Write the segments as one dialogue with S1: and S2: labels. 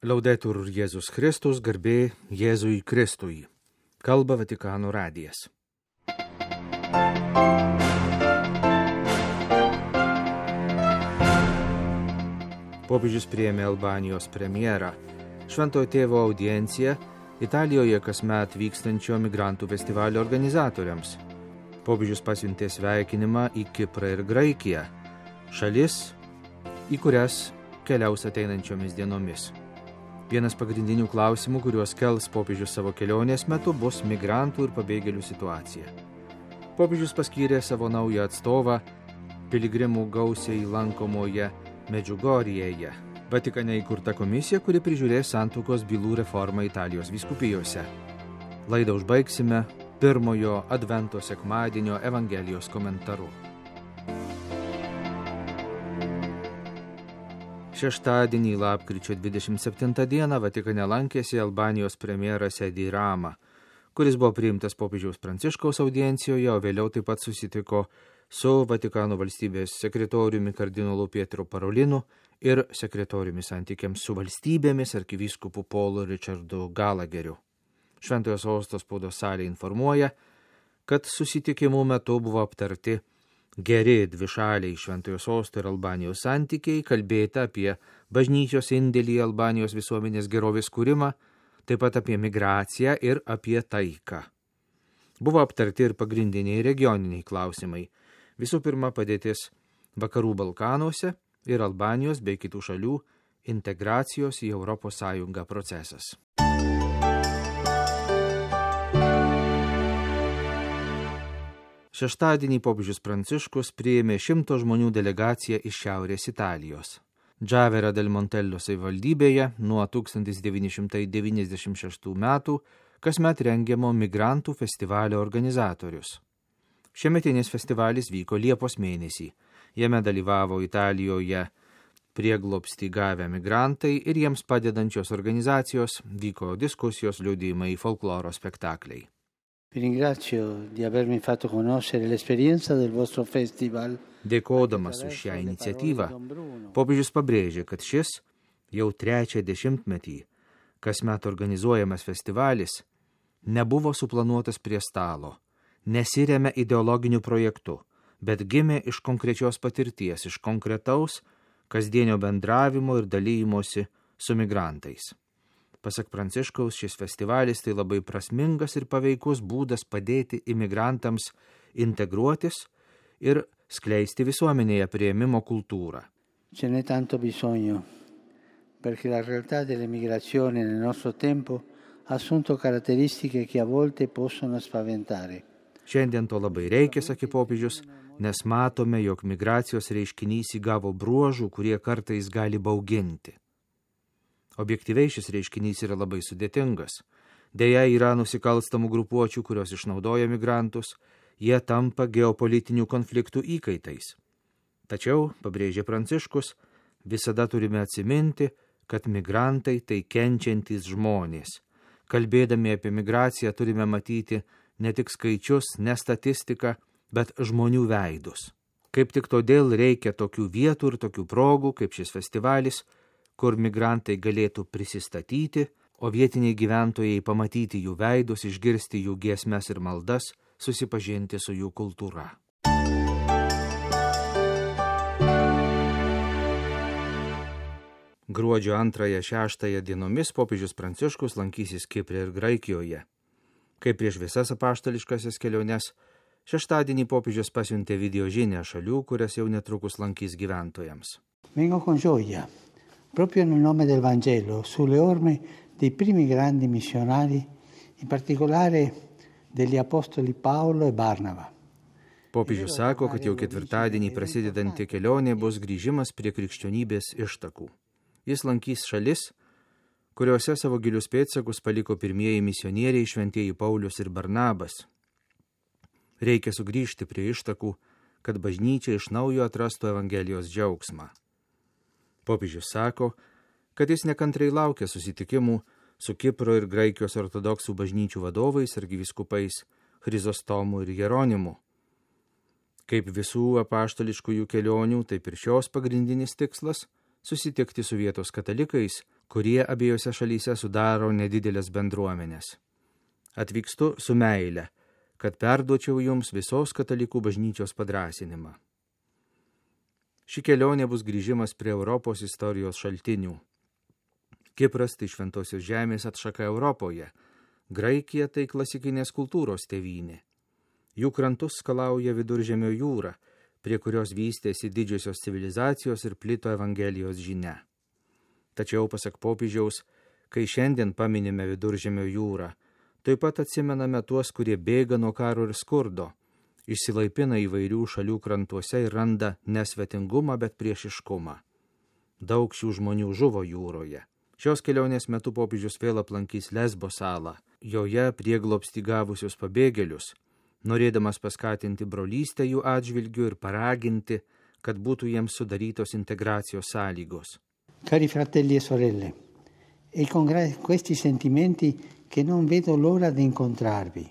S1: Laudetur Jėzus Kristus, garbė Jėzui Kristui. Kalba Vatikano radijas. Popiežius priėmė Albanijos premjerą. Šventojo tėvo audienciją Italijoje kasmet vykstančio migrantų festivalio organizatoriams. Popiežius pasiuntė sveikinimą į Kiprą ir Graikiją, šalis, į kurias keliaus ateinančiomis dienomis. Vienas pagrindinių klausimų, kuriuos kels popiežius savo kelionės metu, bus migrantų ir pabėgėlių situacija. Popiežius paskyrė savo naują atstovą piligrimų gausiai lankomoje Medžiugorjėje, Vatikane įkurta komisija, kuri prižiūrės santuokos bylų reformą Italijos vyskupijose. Laidą užbaigsime pirmojo Advento sekmadienio Evangelijos komentaru. Šeštadienį, lapkričio 27 dieną, Vatikane lankėsi Albanijos premjeras Edi Rama, kuris buvo priimtas popiežiaus Pranciškaus audiencijoje, o vėliau taip pat susitiko su Vatikano valstybės sekretoriumi kardinolu Pietro Parolinu ir sekretoriumi santykiams su valstybėmis arkivyskupu Paulu Richardu Galageriu. Šventojo sosto spaudos salė informuoja, kad susitikimų metu buvo aptarti geri dvišaliai Šventojo sosto ir Albanijos santykiai, kalbėta apie bažnyčios indėlį į Albanijos visuomenės gerovės kūrimą, taip pat apie migraciją ir apie taiką. Buvo aptarti ir pagrindiniai regioniniai klausimai. Visų pirma, padėtis Vakarų Balkanuose ir Albanijos bei kitų šalių integracijos į Europos Sąjungą procesas. Šeštadienį popiežius Pranciškus priėmė 100 žmonių delegaciją iš Šiaurės Italijos. Džavera del Montello savivaldybėje nuo 1996 metų kasmet rengiamo migrantų festivalio organizatorius. Šiemetinis festivalis vyko Liepos mėnesį. Jame dalyvavo Italijoje prieglobstį gavę migrantai ir jiems padedančios organizacijos, vyko diskusijos, liudijimai, folkloro spektakliai.
S2: Vi ringrazio di avermi fatto conoscere l'esperienza del vostro festival.
S1: Dėkodamas už šią iniciatyvą, popiežius pabrėžė, kad šis jau 3 dešimtmetį kasmet organizuojamas festivalis nebuvo suplanuotas prie stalo, nesiremia ideologiniu projektu, bet gimė iš konkrečios patirties, iš konkretaus kasdienio bendravimo ir dalymosi su migrantais. Pasak Pranciškaus, šis festivalis tai labai prasmingas ir paveikus būdas padėti imigrantams integruotis ir skleisti visuomenėje priėmimo kultūrą.
S2: Ce n'è tanto bisogno, perché la realtà dell'emigrazione nel nostro tempo ha assunto caratteristiche che a volte possono spaventare.
S1: Šiandien to labai reikia, sakė popiežius, nes matome, jog migracijos reiškinys įgavo bruožų, kurie kartais gali bauginti. Objektyviai šis reiškinys yra labai sudėtingas. Deja, yra nusikalstamų grupuočių, kurios išnaudoja migrantus, jie tampa geopolitinių konfliktų įkaitais. Tačiau, pabrėžė Pranciškus, visada turime atsiminti, kad migrantai tai kenčiantys žmonės. Kalbėdami apie migraciją turime matyti ne tik skaičius, ne statistiką, bet žmonių veidus. Kaip tik todėl reikia tokių vietų ir tokių progų, kaip šis festivalis, kur migrantai galėtų prisistatyti, o vietiniai gyventojai pamatyti jų veidus, išgirsti jų giesmes ir maldas, susipažinti su jų kultūra. Gruodžio 2-6 dienomis popiežius Pranciškus lankysis Kipre ir Graikijoje. Kaip prieš visas apaštališkasias keliones, šeštadienį popiežius pasiuntė video žinią šalių, kurias jau netrukus lankys gyventojams.
S2: Vengo con gioia, proprio nel nome del Vangelo, sulle orme dei primi grandi missionari, in particolare degli apostoli Paolo e Barnaba.
S1: Popiežius sako, kad jau ketvirtadienį prasidedanti kelionė bus grįžimas prie krikščionybės ištakų. Jis lankys šalis, kuriuose savo gilius pėdsakus paliko pirmieji misionieriai šventieji Paulius ir Barnabas. Reikia sugrįžti prie ištakų, kad bažnyčia iš naujo atrastų Evangelijos džiaugsmą. Popiežius sako, kad jis nekantrai laukia susitikimų su Kipro ir Graikijos ortodoksų bažnyčių vadovais, arkivyskupais Chrizostomu ir Jeronimu. Kaip visų apaštališkųjų kelionių, taip ir šios pagrindinis tikslas – susitikti su vietos katalikais, kurie abiejose šalyse sudaro nedidelės bendruomenės. Atvykstu su meile, kad perduočiau jums visos katalikų bažnyčios padrąsinimą. Ši kelionė bus grįžimas prie Europos istorijos šaltinių. Kipras tai šventosios žemės atšaka Europoje, Graikija tai klasikinės kultūros tėvynė. Jų krantus skalauja Viduržemio jūra, prie kurios vystėsi didžiosios civilizacijos ir plito Evangelijos žinia. Tačiau, pasak popiežiaus, kai šiandien paminime Viduržemio jūrą, taip pat atsimename tuos, kurie bėga nuo karo ir skurdo, išsilaipina įvairių šalių krantuose ir randa nesvetingumą, bet priešiškumą. Daug šių žmonių žuvo jūroje. Šios kelionės metu popiežius vėl aplankys Lesbo salą, joje prieglobstį gavusius pabėgėlius, norėdamas paskatinti brolystę jų atžvilgių ir paraginti, kad būtų jiems sudarytos integracijos sąlygos.
S2: Cari fratelli e sorelle, è con questi sentimenti che non vedo l'ora di incontrarvi.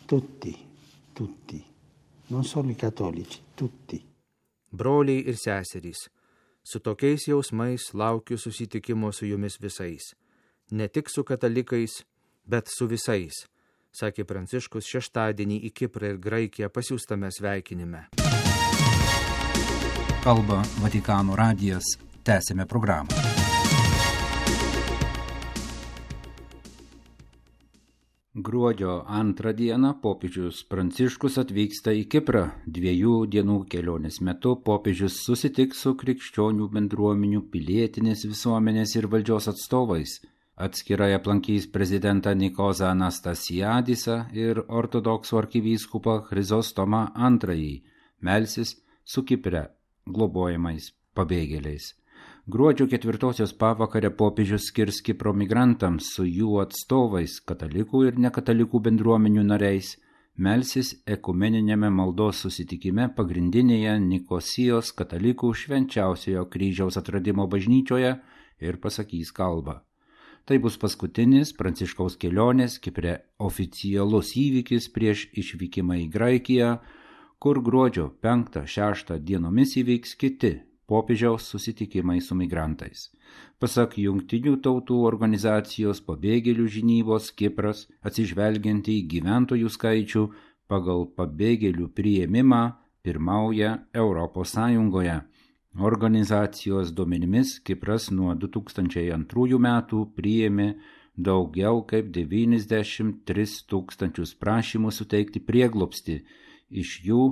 S2: Tutti, non solo i cattolici, tutti.
S1: Broliai ir seserys, su tokiais jausmais laukiu susitikimo su jumis visais. Ne tik su katalikais, bet su visais, sakė Pranciškus šeštadienį į Kiprą ir Graikiją pasiųstame sveikinime.
S3: Kalba Vatikano radijas. Tęsime programą. Gruodžio 2 dieną popiežius Pranciškus atvyksta į Kiprą. 2 dienų kelionės metu popiežius susitiks su krikščionių bendruomenių, pilietinės visuomenės ir valdžios atstovais. Atskirai aplankys prezidentą Nikozą Anastasiadisą ir ortodoksų arkivyskupą Chrizostomą II, melsis su Kipre globojamais pabėgėliais. Gruodžio 4 pavakarę popiežius skirs Kipro migrantams su jų atstovais, katalikų ir nekatalikų bendruomenių nariais, melsis ekumeniniame maldos susitikime pagrindinėje Nikosijos katalikų švenčiausiojo kryžiaus atradimo bažnyčioje ir pasakys kalbą. Tai bus paskutinis Pranciškaus kelionės Kipre oficialus įvykis prieš išvykimą į Graikiją, kur gruodžio 5-6 dienomis įvyks kiti popiežiaus susitikimai su migrantais. Pasak Jungtinių tautų organizacijos pabėgėlių žinybos, Kipras, atsižvelgiant į gyventojų skaičių, pagal pabėgėlių priėmimą pirmauja Europos Sąjungoje. Organizacijos duomenimis Kipras nuo 2002 metų priėmė daugiau kaip 93 tūkstančius prašymų suteikti prieglobstį, iš jų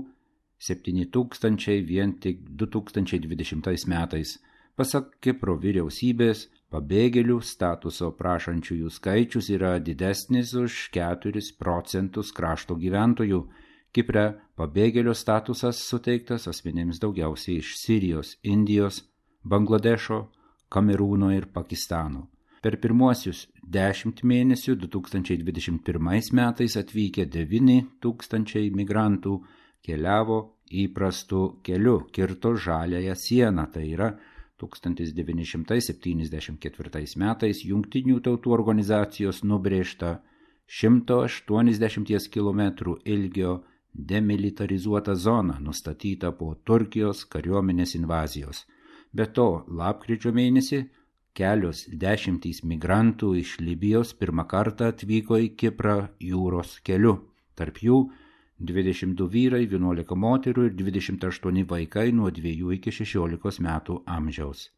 S3: 7,000 vien tik 2020 metais. Pasak Kipro vyriausybės, pabėgėlių statuso prašančiųjų skaičius yra didesnis už 4% krašto gyventojų. Kipre pabėgėlio statusas suteiktas asmenėms daugiausiai iš Sirijos, Indijos, Bangladešo, Kamerūno ir Pakistano. Per pirmuosius 10 mėnesių 2021 metais atvykę 9,000 migrantų keliavo įprastu keliu, kirto žaliąją sieną, tai yra 1974 metais Jungtinių tautų organizacijos nubrėžta 180 km ilgio demilitarizuota zona, nustatyta po Turkijos kariuomenės invazijos. Be to, lapkričio mėnesį kelios dešimtys migrantų iš Libijos pirmą kartą atvyko į Kiprą jūros keliu. Tarp jų 22 vyrai, 11 moterų ir 28 vaikai nuo 2 iki 16 metų amžiaus.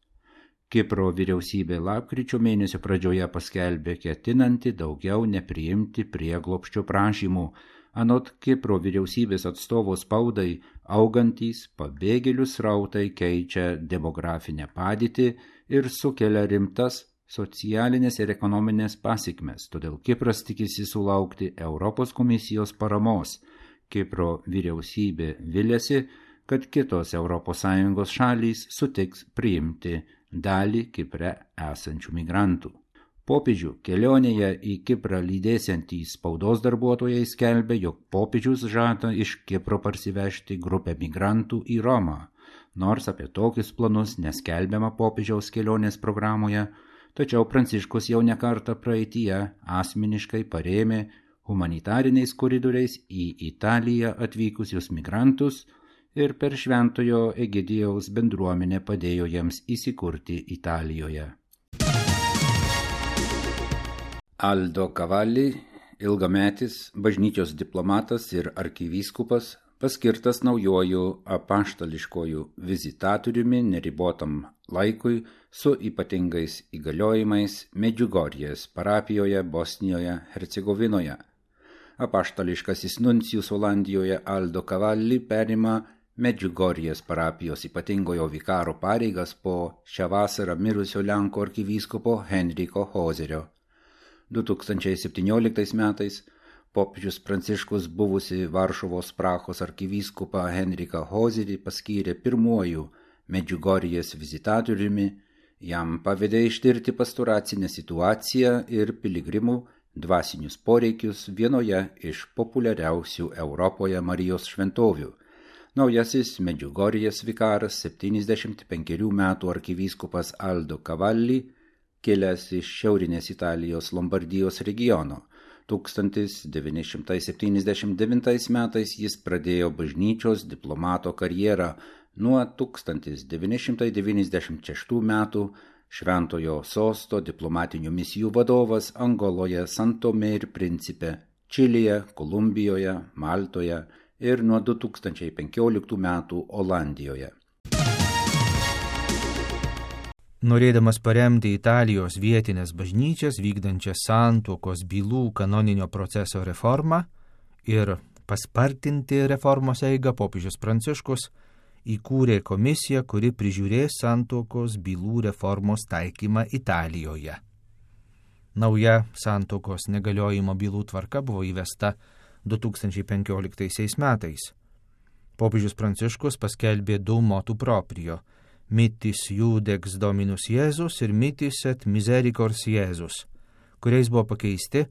S3: Kipro vyriausybė lapkričio mėnesio pradžioje paskelbė ketinanti daugiau nepriimti prieglobsčio prašymų. Anot Kipro vyriausybės atstovo spaudai, augantys pabėgėlių srautai keičia demografinę padėtį ir sukelia rimtas socialinės ir ekonominės pasekmes, todėl Kipras tikisi sulaukti Europos komisijos paramos. Kipro vyriausybė viliasi, kad kitos ES šalys sutiks priimti dalį Kipre esančių migrantų. Popiežių kelionėje į Kiprą lydėsiantys spaudos darbuotojai skelbia, jog popiežius žada iš Kipro parsivežti grupę migrantų į Romą. Nors apie tokius planus neskelbiama popiežiaus kelionės programoje, tačiau Pranciškus jau nekartą praeityje asmeniškai parėmė humanitariniais koridoriais į Italiją atvykusius migrantus ir per Šventojo Egidijaus bendruomenę padėjo jiems įsikurti Italijoje. Aldo Cavalli, ilgametis bažnyčios diplomatas ir arkivyskupas, paskirtas naujoju apaštališkoju vizitatoriumi neribotam laikui su ypatingais įgaliojimais Medžiugorjės parapijoje Bosnijoje Hercegovinoje. Apaštališkasis nuncijus Olandijoje Aldo Cavalli perima Medžiugorjės parapijos ypatingojo vikaro pareigas po šią vasarą mirusio Lenkų arkivyskupo Henriko Hozerio. 2017 metais popiežius Pranciškus buvusi Varšuvos Prahos arkivyskupą Henriką Hozerį paskyrė pirmuoju Medžiugorjės vizitatoriumi, jam pavedė ištirti pastoracinę situaciją ir piligrimų dvasinius poreikius vienoje iš populiariausių Europoje Marijos šventovių. Naujasis Medžiugorjės vikaras 75 metų arkivyskupas Aldo Cavalli, kilęs iš šiaurinės Italijos Lombardijos regiono. 1979 metais jis pradėjo bažnyčios diplomato karjerą, nuo 1996 metų Šventojo Sosto diplomatinių misijų vadovas Angoloje, San Tomė ir Principe, Čilėje, Kolumbijoje, Maltoje ir nuo 2015 metų Olandijoje.
S1: Norėdamas paremti Italijos vietinės bažnyčias vykdančią santuokos bylų kanoninio proceso reformą ir paspartinti reformos eigą, popiežius Pranciškus įkūrė komisiją, kuri prižiūrės santuokos bylų reformos taikymą Italijoje. Nauja santuokos negaliojimo bylų tvarka buvo įvesta 2015 metais. Popiežius Pranciškus paskelbė du motu proprio – Mitis Judex Dominus Jėzus ir Mitis et Misericors Jėzus, kuriais buvo pakeisti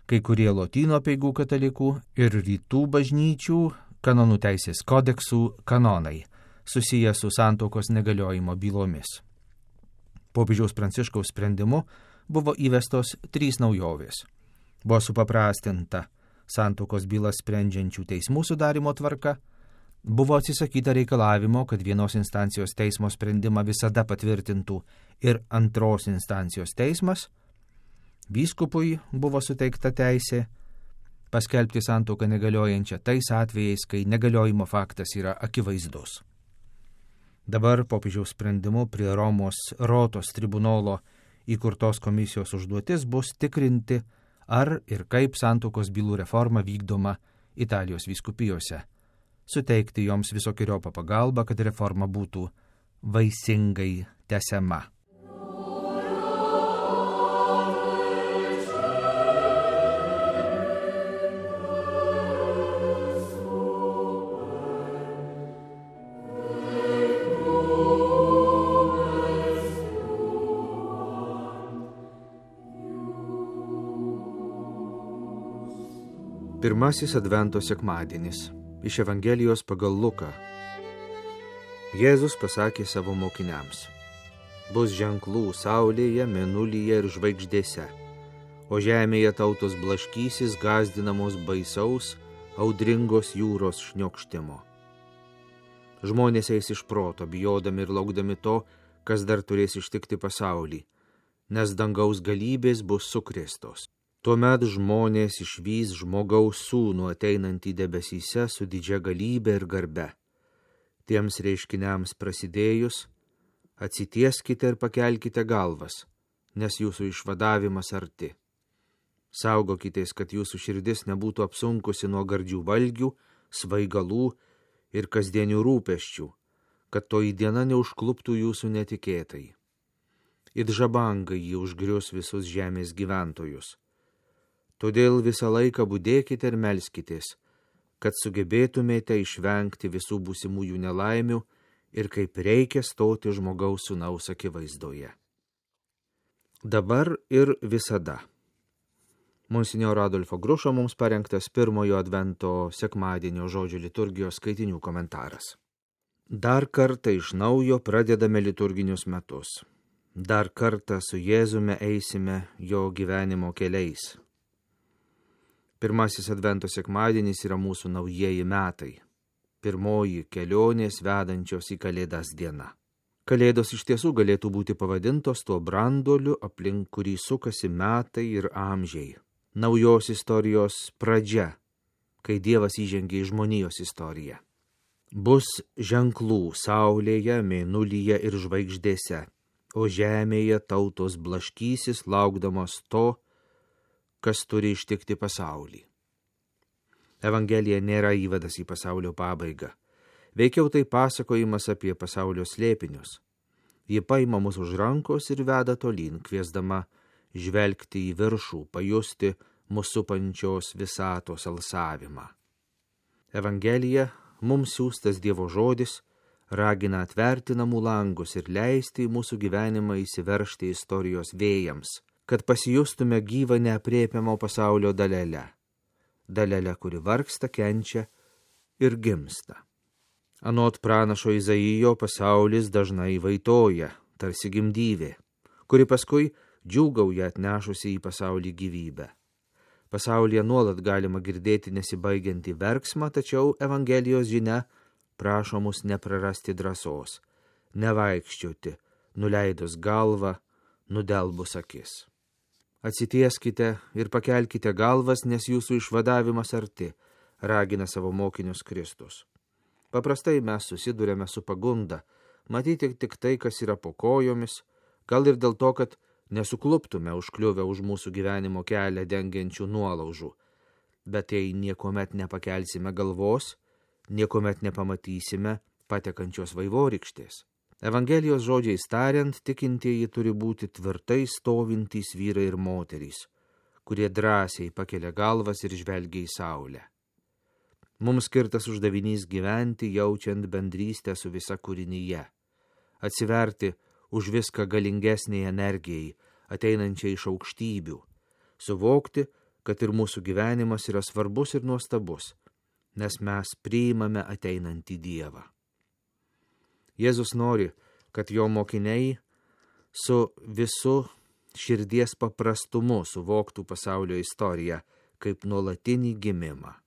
S1: kai kurie lotynų apeigų katalikų ir rytų bažnyčių kanonų teisės kodeksų kanonai, susiję su santuokos negaliojimo bylomis. Popiežiaus Pranciškaus sprendimu buvo įvestos 3 naujovės. Buvo supaprastinta santuokos bylas sprendžiančių teismų sudarimo tvarka, buvo atsisakyta reikalavimo, kad vienos instancijos teismo sprendimą visada patvirtintų ir antros instancijos teismas, vyskupui buvo suteikta teisė paskelbti santuoką negaliojančią tais atvejais, kai negaliojimo faktas yra akivaizdus. Dabar popiežiaus sprendimu prie Romos Rotos tribunolo įkurtos komisijos užduotis bus tikrinti, ar ir kaip santuokos bylų reforma vykdoma Italijos vyskupijose, suteikti joms visokeriopą pagalbą, kad reforma būtų vaisingai tęsiama. Pirmasis Advento sekmadienis. Iš Evangelijos pagal Luką. Jėzus pasakė savo mokiniams: bus ženklų saulėje, mėnulyje ir žvaigždėse, o žemėje tautos blaškysis gąsdinamos baisaus, audringos jūros šniokštimo. Žmonės eis iš proto, bijodami ir laukdami to, kas dar turės ištikti pasaulį, nes dangaus galybės bus sukrėstos. Tuomet žmonės išvys žmogaus sūnų ateinantį debesyse su didžia galybe ir garbe. Tiems reiškiniams prasidėjus, atsitieskite ir pakelkite galvas, nes jūsų išvadavimas arti. Saugokitės, kad jūsų širdis nebūtų apsunkusi nuo gardžių valgių, svaigalų ir kasdienių rūpesčių, kad toji diena neužkluptų jūsų netikėtai. It žabangai jį užgrius visus žemės gyventojus. Todėl visą laiką budėkite ir melskitės, kad sugebėtumėte išvengti visų būsimųjų nelaimių ir kaip reikia stoti žmogaus sūnaus akivaizdoje. Dabar ir visada. Monsinjoro Adolfo Grušo mums parengtas pirmojo Advento sekmadienio žodžių liturgijos skaitinių komentaras. Dar kartą iš naujo pradedame liturginius metus. Dar kartą su Jėzumi eisime jo gyvenimo keliais. Pirmasis Advento sekmadienis yra mūsų naujieji metai. Pirmoji kelionės vedančios į Kalėdas diena. Kalėdos iš tiesų galėtų būti pavadintos tuo branduoliu, aplink kurį sukasi metai ir amžiai. Naujos istorijos pradžia, kai Dievas įžengė į žmonijos istoriją. Bus ženklų saulėje, mėnulyje ir žvaigždėse, o žemėje tautos blaškysis, laukdamos to, kas turi ištikti pasaulį. Evangelija nėra įvadas į pasaulio pabaigą. Veikiau tai pasakojimas apie pasaulio slėpinius. Ji paima mus už rankos ir veda tolyn, kviesdama žvelgti į viršų, pajusti mūsų supančios visatos alsavimą. Evangelija, mums siųstas Dievo žodis, ragina atverti namų langus ir leisti į mūsų gyvenimą įsiveržti istorijos vėjams, kad pasijustume gyvą neaprėpiamo pasaulio dalelę, kuri vargsta, kenčia ir gimsta. Anot pranašo Izaijo pasaulis dažnai vaitoja, tarsi gimdyvė, kuri paskui džiūgauja atnešusi į pasaulį gyvybę. Pasaulyje nuolat galima girdėti nesibaigiantį verksmą, tačiau Evangelijos žinia prašo mus neprarasti drąsos, nevaikščioti, nuleidus galvą, nudelbus akis. Atsitieskite ir pakelkite galvas, nes jūsų išvadavimas arti, ragina savo mokinius Kristus. Paprastai mes susidurėme su pagunda, matyti tik tai, kas yra po kojomis, gal ir dėl to, kad nesukluptume užkliuvę už mūsų gyvenimo kelią dengiančių nuolaužų. Bet jei niekuomet nepakelsime galvos, niekuomet nepamatysime patekančios vaivorykštės. Evangelijos žodžiais tariant, tikintieji turi būti tvirtai stovintys vyrai ir moterys, kurie drąsiai pakelia galvas ir žvelgia į saulę. Mums skirtas uždavinys gyventi, jaučiant bendrystę su visa kūrinyje, atsiverti už viską galingesniai energijai, ateinančiai iš aukštybių, suvokti, kad ir mūsų gyvenimas yra svarbus ir nuostabus, nes mes priimame ateinantį Dievą. Jėzus nori, kad jo mokiniai su visu širdies paprastumu suvoktų pasaulio istoriją kaip nuolatinį gimimą.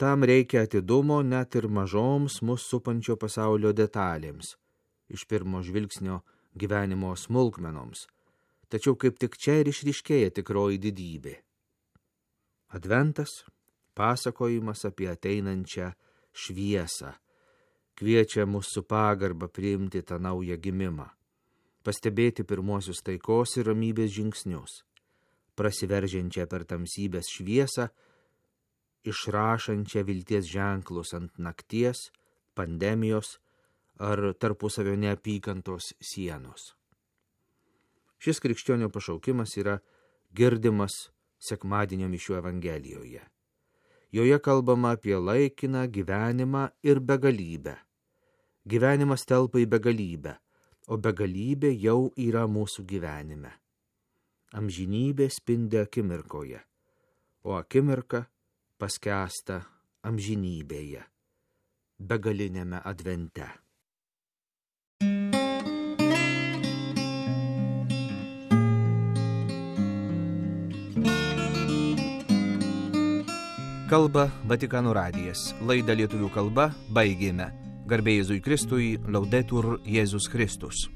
S1: Tam reikia atidumo net ir mažoms mus supančio pasaulio detalėms, iš pirmo žvilgsnio gyvenimo smulkmenoms, tačiau kaip tik čia ir išryškėja tikroji didybė. Adventas – pasakojimas apie ateinančią šviesą, kviečia mus su pagarba priimti tą naują gimimą, pastebėti pirmuosius taikos ir ramybės žingsnius, prasiveržiančią per tamsybės šviesą, išrašančią vilties ženklus ant nakties, pandemijos ar tarpusavio neapykantos sienos. Šis krikščionio pašaukimas yra girdimas sekmadienio mišių Evangelijoje. Joje kalbama apie laikiną gyvenimą ir begalybę. Gyvenimas telpa į begalybę, o begalybė jau yra mūsų gyvenime. Amžinybė spindi akimirkoje, o akimirka paskęsta amžinybėje, begalinėme advente.
S4: Kalba Vatikano radijas. Laidą lietuvių kalba baigėme. Garbė Jėzui Kristui, Laudetur Jėzus Kristus.